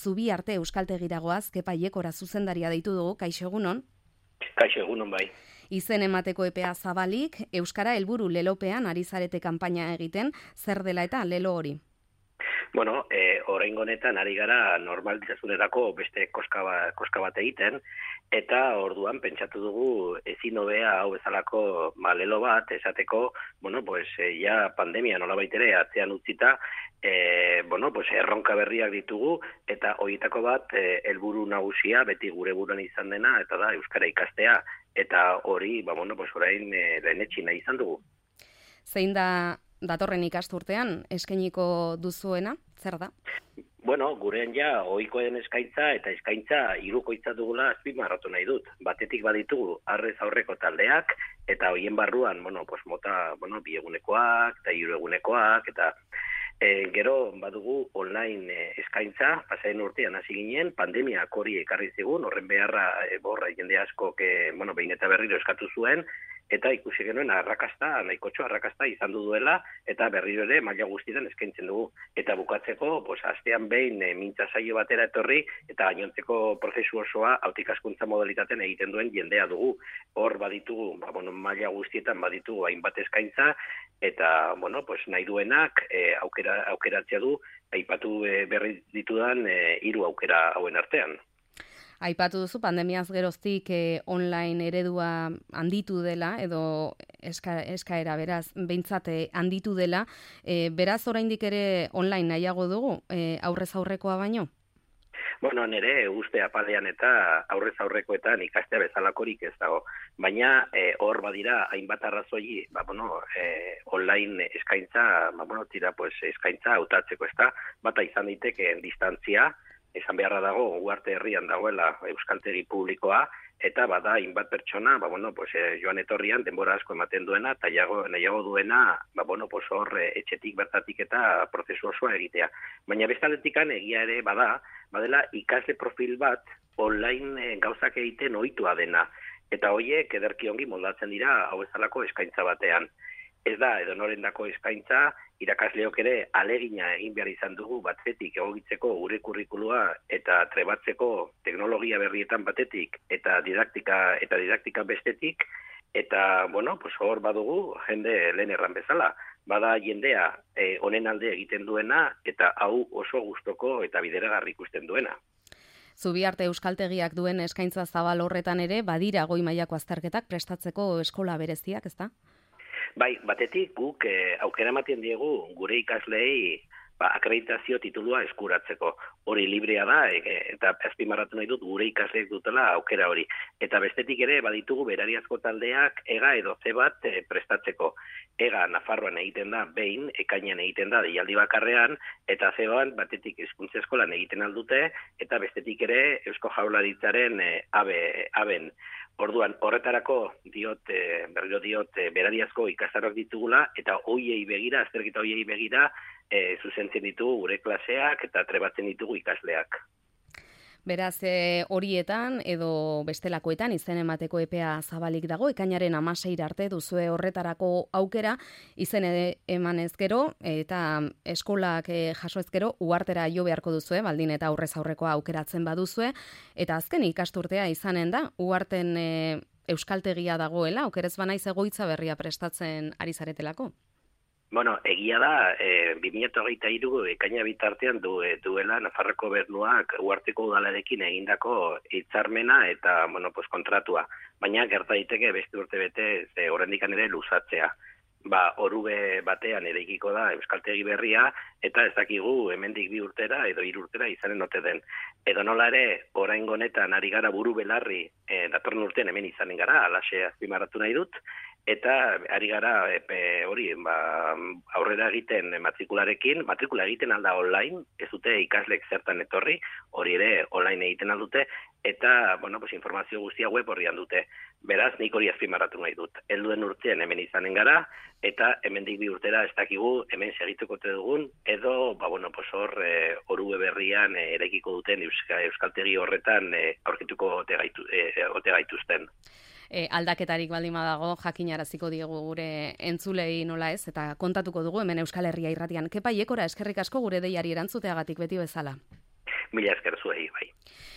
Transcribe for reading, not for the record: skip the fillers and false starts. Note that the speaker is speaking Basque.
Zubiarte Euskaltegiragoaz, Kepa Iekora zuzendaria deitu dugu, kaixo egunon? Kaixo egunon bai. Izen emateko epea zabalik, Euskara helburu lelopean ari zarete kanpaina egiten, zer dela eta lelo hori? Bueno, oraingo honetan ari gara normalizazionerako beste koska bat egiten, eta orduan pentsatu dugu ezin hobea hau bezalako lelo bat esateko, ja pandemia nolabait ere atzean utzita, erronka berriak ditugu, eta horietako bat helburu nagusia beti gure buruan izan dena, eta da euskara ikastea, eta hori, orain lehenetsi nahi izan dugu. Zein da datorren ikasturtean eskainiko duzuena, zer da? Bueno, gurean ja ohikoen eskaintza eta eskaintza hirukoitza dugula azpimarratu nahi dut. Batetik baditugu arrez aurreko taldeak eta hoien barruan, mota, bi egunekoak eta hiru egunekoak eta gero badugu online eskaintza, pasaden urtean hasi ginen, pandemiak hori ekarri zigun, horren beharra jende askok behin eta berriro eskatu zuen, eta ikusi genuen nahikotxo arrakasta izan duela, eta berriro ere maila guztietan eskaintzen dugu. Eta bukatzeko, astean behin mintza saio batera etorri, eta gainontzeko prozesu osoa autikaskuntza modalitaten egiten duen jendea dugu. Hor baditugu, maila guztietan baditugu hainbat eskaintza, eta nahi duenak aukeratzea du, aipatu berri ditudan 3 aukera hauen artean. Aipatu duzu, pandemiaz geroztik online eredua handitu dela, edo eskaera beraz, behintzat handitu dela, beraz oraindik ere online nahiago dugu, aurrez aurrekoa baino? Bueno, nire uste apalean eta aurrez aurrekoetan ikastea bezalakorik ez dago. Baina hor badira hainbat arrazoi, online eskaintza, eskaintza hautatzeko ez da, bata izan daiteke distantzia, esan beharra dago, Ugarte herrian dagoela euskaltegi publikoa, eta bada hainbat pertsona, joan etorrian denbora asko ematen duena, eta nahiago duena, hor etxetik bertatik eta prozesu osoa egitea. Baina bestaletikan egia ere badela ikasle profil bat online gauzak egiten ohitua dena, eta horiek ederki ongi moldatzen dira hau bezalako eskaintza batean. Ez da, edonorendako eskaintza, irakasleok ere alegina egin behar izan dugu batetik egokitzeko gure kurrikulua eta trebatzeko teknologia berrietan batetik eta didaktika bestetik, eta, hor badugu jende lehen erran bezala. Bada jendea honen alde egiten duena eta hau oso gustoko eta bideragarri ikusten duena. Zubiarte Euskaltegiak duen eskaintza zabal horretan ere, badira goi mailako azterketak prestatzeko eskola bereziak, ezta? Bai, batetik guk aukera ematen diegu gure ikasleei akreditazio titulua eskuratzeko. Hori librea da, eta azpimarratu nahi dut gure ikasleek dutela aukera hori. Eta bestetik ere baditugu berariazko taldeak EGA edo C bat prestatzeko. EGA Nafarroan egiten da behin, ekainean egiten da deialdi bakarrean, eta C batetik hizkuntza eskolan egiten aldute, eta bestetik ere Eusko Jaurlaritzaren aben. Orduan, horretarako berriro diot, berariazko ikastaroak ditugula, eta azterketa hoiei begira, zuzentzen ditugu gure klaseak eta trebatzen ditugu ikasleak. Beraz, horietan edo bestelakoetan izen emateko epea zabalik dago, ekainaren 16 arte duzue horretarako aukera, izen emanez gero, eta eskolak jaso ezkero, uhartera jo beharko duzue, baldin eta aurrez aurrekoa aukeratzen baduzue, eta azken ikasturtea izanen da, uharten euskaltegia dagoela, okerez banaiz egoitza berria prestatzen ari zaretelako? Egia da, 2023 ekaina bitartean duela Nafarroko Gobernuak uharteko udalarekin egindako hitzarmena eta kontratua. Baina gerta daiteke beste urte bete oraindik ere luzatzea. Orube batean eraikiko da euskaltegi berria eta ez dakigu hemendik 2 urtera edo 3 urtera izanen ote den. Edo nola ere, oraingo honetan ari gara buru belarri, datorren urtean hemen izanen gara, alaxe azpimarratu nahi dut, eta ari gara aurrera egiten matrikula egiten alda online, ez dute ikaslek zertan etorri, hori ere online egiten aldute, eta informazio guztia web horrian dute. Beraz, nik hori azpimarratu nahi dut. Helduen urtean hemen izanen gara, eta hemendik 2 urtera ez dakigu hemen segituko dugun, edo hor orube berrian eraikiko duten euskaltegi horretan aurkituko ote gaituzten. Aldaketarik baldin badago jakinaraziko diegu gure entzulei nola ez, eta kontatuko dugu hemen Euskal Herria irratian. Kepa Iekora, eskerrik asko gure deiari erantzuteagatik beti bezala. Mila esker zuei, bai.